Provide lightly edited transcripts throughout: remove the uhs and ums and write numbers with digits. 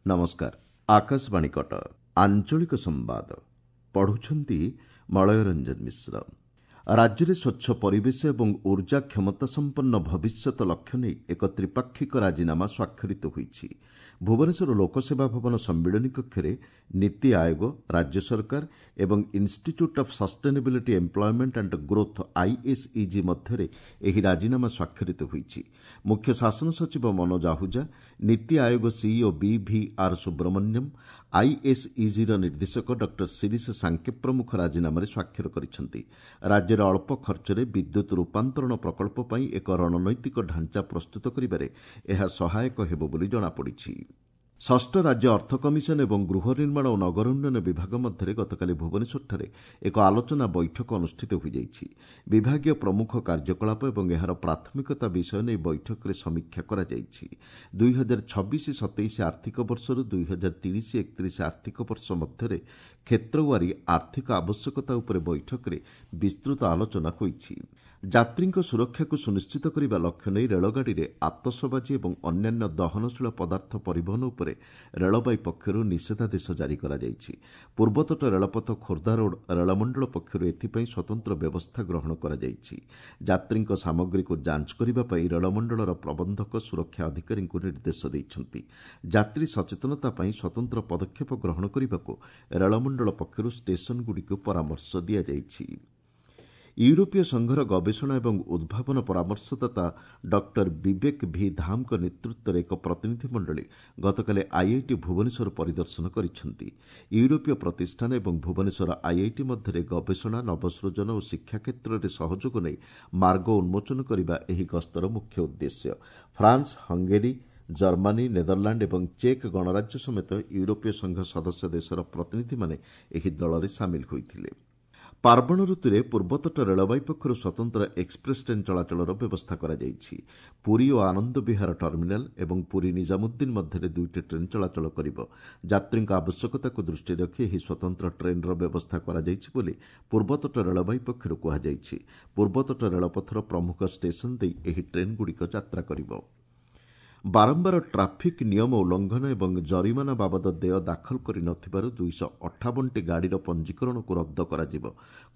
ନମସ୍କାର, ଆକାଶବାଣୀ କଟକ, ଆଞ୍ଚଳିକ ସମ୍ବାଦ ପଢୁଛନ୍ତି ମଳୟ ରଞ୍ଜନ ମିଶ୍ର। ରାଜ୍ୟରେ ସ୍ୱଚ୍ଛ ପରିବେଶ ଏବଂ ଉର୍ଜା କ୍ଷମତା ସମ୍ପନ୍ନ ଭବିଷ୍ୟତ ଲକ୍ଷ୍ୟ ନେଇ ଏକ ତ୍ରିପାକ୍ଷିକ ରାଜିନାମା ସ୍ୱାକ୍ଷରିତ ହୋଇଛି। ଭୁବନେଶ୍ୱର ଲୋକସେବା ଭବନ ସମ୍ମିଳନୀ କକ୍ଷରେ ନୀତି ଆୟୋଗ, ରାଜ୍ୟ ସରକାର ଏବଂ institute of sustainability employment and growth ISEG ମଧ୍ୟରେ ଏହି ରାଜିନାମା ସ୍ୱାକ୍ଷରିତ ହୋଇଛି। ମୁଖ୍ୟ ଶାସନ ସଚିବ ମନୋଜ ଆହୁଜା, ନୀତି ଆୟୋଗ ସିଇଓ ବିଭିଆର୍ ସୁବ୍ରମଣ୍ୟମ୍, ଆଇଏସ୍ଇଜିର ନିର୍ଦ୍ଦେଶକ ଡକ୍ଟର ଶିରିଶ ସାଙ୍କେ ପ୍ରମୁଖ ରାଜିନାମାରେ ସ୍ୱାକ୍ଷର କରିଛନ୍ତି। ରାଜ୍ୟରେ ଅଳ୍ପ ଖର୍ଚ୍ଚରେ ବିଦ୍ୟୁତ୍ ରୂପାନ୍ତରଣ ପ୍ରକଳ୍ପ ପାଇଁ ଏକ ରଣନୈତିକ ଢାଞ୍ଚା ପ୍ରସ୍ତୁତ କରିବାରେ ଏହା ସହାୟକ ହେବ ବୋଲି ଜଣାପଡ଼ିଛି। ଷଷ୍ଠ ରାଜ୍ୟ ଅର୍ଥ କମିଶନ ଏବଂ ଗୃହ ନିର୍ମାଣ ଓ ନଗର ଉନ୍ନୟନ ବିଭାଗ ମଧ୍ୟରେ ଗତକାଲି ଭୁବନେଶ୍ୱରଠାରେ ଏକ ଆଲୋଚନା ବୈଠକ ଅନୁଷ୍ଠିତ ହୋଇଯାଇଛି। ବିଭାଗୀୟ ପ୍ରମୁଖ କାର୍ଯ୍ୟକଳାପ ଏବଂ ଏହାର ପ୍ରାଥମିକତା ବିଷୟ ନେଇ ବୈଠକରେ ସମୀକ୍ଷା କରାଯାଇଛି। 2026-27 ଆର୍ଥିକ ବର୍ଷରୁ 2030-31 ଆର୍ଥିକ ବର୍ଷ ମଧ୍ୟରେ କ୍ଷେତ୍ରୱାରୀ ଆର୍ଥିକ ଆବଶ୍ୟକତା ଉପରେ ବୈଠକରେ ବିସ୍ତୃତ ଆଲୋଚନା ହୋଇଛି। ଯାତ୍ରୀଙ୍କ ସୁରକ୍ଷାକୁ ସୁନିଶ୍ଚିତ କରିବା ଲକ୍ଷ୍ୟ ନେଇ ରେଳଗାଡ଼ିରେ ଆତସବାଜି ଏବଂ ଅନ୍ୟାନ୍ୟ ଦହନଶୀଳ ପଦାର୍ଥ ପରିବହନ ଉପରେ ରେଳବାଇ ପକ୍ଷରୁ ନିଷେଧାଦେଶ ଜାରି କରାଯାଇଛି। ପୂର୍ବତଟ ରେଳପଥ ଖୋର୍ଦ୍ଧା ରୋଡ୍ ରେଳମଣ୍ଡଳ ପକ୍ଷରୁ ଏଥିପାଇଁ ସ୍ୱତନ୍ତ୍ର ବ୍ୟବସ୍ଥା ଗ୍ରହଣ କରାଯାଇଛି। ଯାତ୍ରୀଙ୍କ ସାମଗ୍ରୀକୁ ଯାଞ୍ଚ କରିବା ପାଇଁ ରେଳମଣ୍ଡଳର ପ୍ରବନ୍ଧକ ସୁରକ୍ଷା ଅଧିକାରୀଙ୍କୁ ନିର୍ଦ୍ଦେଶ ଦେଇଛନ୍ତି। ଯାତ୍ରୀ ସଚେତନତା ପାଇଁ ସ୍ୱତନ୍ତ୍ର ପଦକ୍ଷେପ ଗ୍ରହଣ କରିବାକୁ ରେଳମଣ୍ଡଳ ପକ୍ଷରୁ ଷ୍ଟେସନଗୁଡ଼ିକୁ ପରାମର୍ଶ ଦିଆଯାଇଛି। ୟୁରୋପୀୟ ସଂଘର ଗବେଷଣା ଏବଂ ଉଦ୍ଭାବନ ପରାମର୍ଶଦାତା ଡକ୍ଟର ବିବେକ ଭି ଧାମଙ୍କ ନେତୃତ୍ୱରେ ଏକ ପ୍ରତିନିଧି ମଣ୍ଡଳୀ ଗତକାଲି ଆଇଆଇଟି ଭୁବନେଶ୍ୱର ପରିଦର୍ଶନ କରିଛନ୍ତି। ୟୁରୋପୀୟ ପ୍ରତିଷ୍ଠାନ ଏବଂ ଭୁବନେଶ୍ୱର ଆଇଆଇଟି ମଧ୍ୟରେ ଗବେଷଣା, ନବସୃଜନ ଓ ଶିକ୍ଷା କ୍ଷେତ୍ରରେ ସହଯୋଗ ନେଇ ମାର୍ଗ ଉନ୍ମୋଚନ କରିବା ଏହି ଗସ୍ତର ମୁଖ୍ୟ ଉଦ୍ଦେଶ୍ୟ। ଫ୍ରାନ୍ସ, ହଙ୍ଗେରୀ, ଜର୍ମାନୀ, ନେଦରଲାଣ୍ଡ ଏବଂ ଚେକ୍ ଗଣରାଜ୍ୟ ସମେତ ୟୁରୋପୀୟ ସଂଘ ସଦସ୍ୟ ଦେଶର ପ୍ରତିନିଧିମାନେ ଏହି ଦଳରେ ସାମିଲ ହୋଇଥିଲେ। ପାର୍ବଣ ଋତୁରେ ପୂର୍ବତଟ ରେଳବାଇ ପକ୍ଷରୁ ସ୍ୱତନ୍ତ୍ର ଏକ୍ସପ୍ରେସ୍ ଟ୍ରେନ୍ ଚଳାଚଳର ବ୍ୟବସ୍ଥା କରାଯାଇଛି। ପୁରୀ ଓ ଆନନ୍ଦ ବିହାର ଟର୍ମିନାଲ ଏବଂ ପୁରୀ ନିଜାମୁଦ୍ଦିନ ମଧ୍ୟରେ ଦୁଇଟି ଟ୍ରେନ୍ ଚଳାଚଳ କରିବ। ଯାତ୍ରୀଙ୍କ ଆବଶ୍ୟକତାକୁ ଦୃଷ୍ଟିରେ ରଖି ଏହି ସ୍ୱତନ୍ତ୍ର ଟ୍ରେନ୍ର ବ୍ୟବସ୍ଥା କରାଯାଇଛି ବୋଲି ପୂର୍ବତଟ ରେଳବାଇ ପକ୍ଷରୁ କୁହାଯାଇଛି। ପୂର୍ବତଟ ରେଳପଥର ପ୍ରମୁଖ ଷ୍ଟେସନ ଦେଇ ଏହି ଟ୍ରେନ୍ଗୁଡ଼ିକ ଯାତ୍ରା କରିବ। ବାରମ୍ବାର ଟ୍ରାଫିକ୍ ନିୟମ ଉଲ୍ଲଂଘନ ଏବଂ ଜରିମାନା ବାବଦ ଦେୟ ଦାଖଲ କରିନଥିବାରୁ 258ଟି ଗାଡ଼ିର ପଞ୍ଜୀକରଣକୁ ରଦ୍ଦ କରାଯିବ।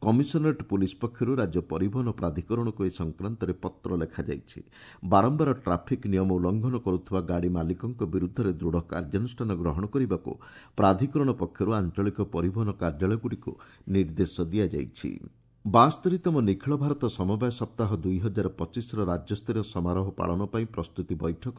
କମିଶନରେଟ୍ ପୁଲିସ୍ ପକ୍ଷରୁ ରାଜ୍ୟ ପରିବହନ ପ୍ରାଧିକରଣକୁ ଏ ସଂକ୍ରାନ୍ତରେ ପତ୍ର ଲେଖାଯାଇଛି। ବାରମ୍ବାର ଟ୍ରାଫିକ୍ ନିୟମ ଉଲ୍ଲଂଘନ କରୁଥିବା ଗାଡ଼ି ମାଲିକଙ୍କ ବିରୁଦ୍ଧରେ ଦୃଢ଼ କାର୍ଯ୍ୟାନୁଷ୍ଠାନ ଗ୍ରହଣ କରିବାକୁ ପ୍ରାଧିକରଣ ପକ୍ଷରୁ ଆଞ୍ଚଳିକ ପରିବହନ କାର୍ଯ୍ୟାଳୟଗୁଡ଼ିକୁ ନିର୍ଦ୍ଦେଶ ଦିଆଯାଇଛି। 72ତମ ନିଖିଳ ଭାରତ ସମବାୟ ସପ୍ତାହ 2025ର ରାଜ୍ୟସ୍ତରୀୟ ସମାରୋହ ପାଳନ ପାଇଁ ପ୍ରସ୍ତୁତି ବୈଠକ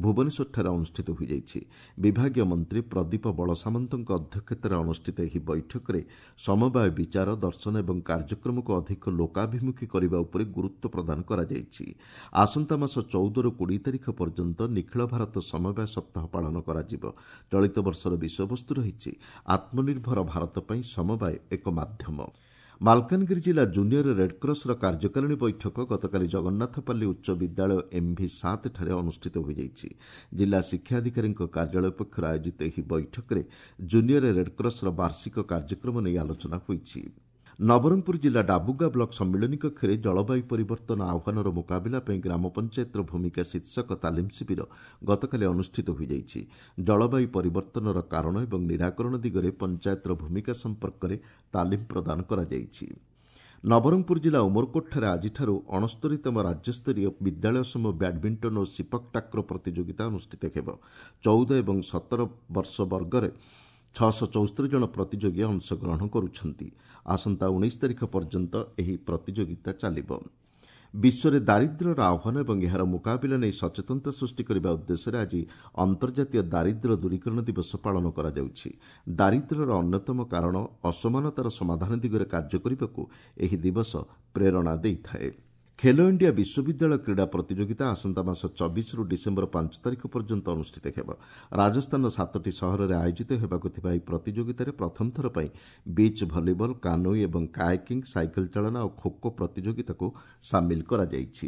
ଭୁବନେଶ୍ୱରଠାରେ ଅନୁଷ୍ଠିତ ହୋଇଯାଇଛି। ବିଭାଗୀୟ ମନ୍ତ୍ରୀ ପ୍ରଦୀପ ବଳସାମନ୍ତଙ୍କ ଅଧ୍ୟକ୍ଷତାରେ ଅନୁଷ୍ଠିତ ଏହି ବୈଠକରେ ସମବାୟ ବିଚାର, ଦର୍ଶନ ଏବଂ କାର୍ଯ୍ୟକ୍ରମକୁ ଅଧିକ ଲୋକାଭିମୁଖୀ କରିବା ଉପରେ ଗୁରୁତ୍ୱ ପ୍ରଦାନ କରାଯାଇଛି। ଆସନ୍ତା ମାସ 14ରୁ 20 ତାରିଖ ପର୍ଯ୍ୟନ୍ତ ନିଖିଳ ଭାରତ ସମବାୟ ସପ୍ତାହ ପାଳନ କରାଯିବ। ଚଳିତ ବର୍ଷର ବିଷୟବସ୍ତୁ ରହିଛି ଆତ୍ମନିର୍ଭର ଭାରତ ପାଇଁ ସମବାୟ ଏକ ମାଧ୍ୟମ। ମାଲକାନଗିରି ଜିଲ୍ଲା ଜୁନିୟର ରେଡ୍କ୍ରସର କାର୍ଯ୍ୟକାରିଣୀ ବୈଠକ ଗତକାଲି ଜଗନ୍ନାଥପାଲ୍ଲୀ ଉଚ୍ଚ ବିଦ୍ୟାଳୟ ଏମ୍ଭି 7 ଠାରେ ଅନୁଷ୍ଠିତ ହୋଇଯାଇଛି। ଜିଲ୍ଲା ଶିକ୍ଷାଧିକାରୀଙ୍କ କାର୍ଯ୍ୟାଳୟ ପକ୍ଷରୁ ଆୟୋଜିତ ଏହି ବୈଠକରେ ଜୁନିୟର ରେଡ୍କ୍ରସର ବାର୍ଷିକ କାର୍ଯ୍ୟକ୍ରମ ନେଇ ଆଲୋଚନା ହୋଇଛି। ନବରଙ୍ଗପୁର ଜିଲ୍ଲା ଡାବୁଗାଁ ବ୍ଲକ ସମ୍ମିଳନୀ କକ୍ଷରେ ଜଳବାୟୁ ପରିବର୍ତ୍ତନ ଆହ୍ୱାନର ମୁକାବିଲା ପାଇଁ ଗ୍ରାମ ପଞ୍ଚାୟତର ଭୂମିକା ଶୀର୍ଷକ ତାଲିମ ଶିବିର ଗତକାଲି ଅନୁଷ୍ଠିତ ହୋଇଯାଇଛି। ଜଳବାୟୁ ପରିବର୍ତ୍ତନର କାରଣ ଏବଂ ନିରାକରଣ ଦିଗରେ ପଞ୍ଚାୟତର ଭୂମିକା ସମ୍ପର୍କରେ ତାଲିମ ପ୍ରଦାନ କରାଯାଇଛି। ନବରଙ୍ଗପୁର ଜିଲ୍ଲା ଉମରକୋଟଠାରେ ଆଜିଠାରୁ 69ତମ ରାଜ୍ୟସ୍ତରୀୟ ବିଦ୍ୟାଳୟ ସମୂହ ବ୍ୟାଡମିଣ୍ଟନ ଓ ସିପକ୍ ଟାକ୍ରୋ ପ୍ରତିଯୋଗିତା ଅନୁଷ୍ଠିତ ହେବ। 14 ଏବଂ 17 ବର୍ଷ ବର୍ଗରେ 674 ଜଣ ପ୍ରତିଯୋଗୀ ଅଂଶଗ୍ରହଣ କରୁଛନ୍ତି। ଆସନ୍ତା 19 ତାରିଖ ପର୍ଯ୍ୟନ୍ତ ଏହି ପ୍ରତିଯୋଗିତା ଚାଲିବ। ବିଶ୍ୱରେ ଦାରିଦ୍ର୍ୟର ଆହ୍ୱାନ ଏବଂ ଏହାର ମୁକାବିଲା ନେଇ ସଚେତନତା ସୃଷ୍ଟି କରିବା ଉଦ୍ଦେଶ୍ୟରେ ଆଜି ଅନ୍ତର୍ଜାତୀୟ ଦାରିଦ୍ର୍ୟ ଦୂରୀକରଣ ଦିବସ ପାଳନ କରାଯାଉଛି। ଦାରିଦ୍ର୍ୟର ଅନ୍ୟତମ କାରଣ ଅସମାନତାର ସମାଧାନ ଦିଗରେ କାର୍ଯ୍ୟ କରିବାକୁ ଏହି ଦିବସ ପ୍ରେରଣା ଦେଇଥାଏ। ଖେଲୋ ଇଣ୍ଡିଆ ବିଶ୍ୱବିଦ୍ୟାଳୟ କ୍ରୀଡ଼ା ପ୍ରତିଯୋଗିତା ଆସନ୍ତା ମାସ 24ରୁ ଡିସେମ୍ବର 5 ତାରିଖ ପର୍ଯ୍ୟନ୍ତ ଅନୁଷ୍ଠିତ ହେବ। ରାଜସ୍ଥାନର 7ଟି ସହରରେ ଆୟୋଜିତ ହେବାକୁ ଥିବା ଏହି ପ୍ରତିଯୋଗିତାରେ ପ୍ରଥମ ଥର ପାଇଁ ବିଚ୍ ଭଲିବଲ୍, କାନୋଇ ଏବଂ କାୟାକିଂ, ସାଇକେଲ ଚାଳନା ଓ ଖୋଖୋ ପ୍ରତିଯୋଗିତାକୁ ସାମିଲ କରାଯାଇଛି।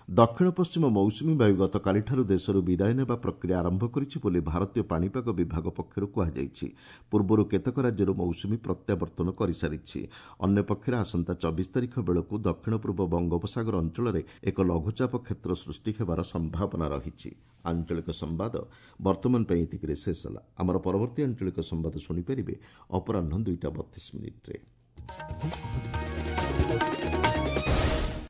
ଦକ୍ଷିଣ ପଶ୍ଚିମ ମୌସୁମୀ ବାୟୁ ଗତକାଲିଠାରୁ ଦେଶରୁ ବିଦାୟ ନେବା ପ୍ରକ୍ରିୟା ଆରମ୍ଭ କରିଛି ବୋଲି ଭାରତୀୟ ପାଣିପାଗ ବିଭାଗ ପକ୍ଷରୁ କୁହାଯାଇଛି। ପୂର୍ବରୁ କେତେକ ରାଜ୍ୟରୁ ମୌସୁମୀ ପ୍ରତ୍ୟାବର୍ତ୍ତନ କରିସାରିଛି। ଅନ୍ୟପକ୍ଷରେ ଆସନ୍ତା 24 ତାରିଖ ବେଳକୁ ଦକ୍ଷିଣ ପୂର୍ବ ବଙ୍ଗୋପସାଗର ଅଞ୍ଚଳରେ ଏକ ଲଘୁଚାପ କ୍ଷେତ୍ର ସୃଷ୍ଟି ହେବାର ସମ୍ଭାବନା ରହିଛି। ଆଞ୍ଚଳିକ ସମ୍ବାଦ ବର୍ତ୍ତମାନ ପାଇଁ ଏତିକିରେ ଶେଷ ହେଲା। ଆମର ପରବର୍ତ୍ତୀ ଆଞ୍ଚଳିକ ସମ୍ବାଦ ଶୁଣିପାରିବେ ଅପରାହ୍ନ 2ଟା 32 ମିନିଟ୍ରେ।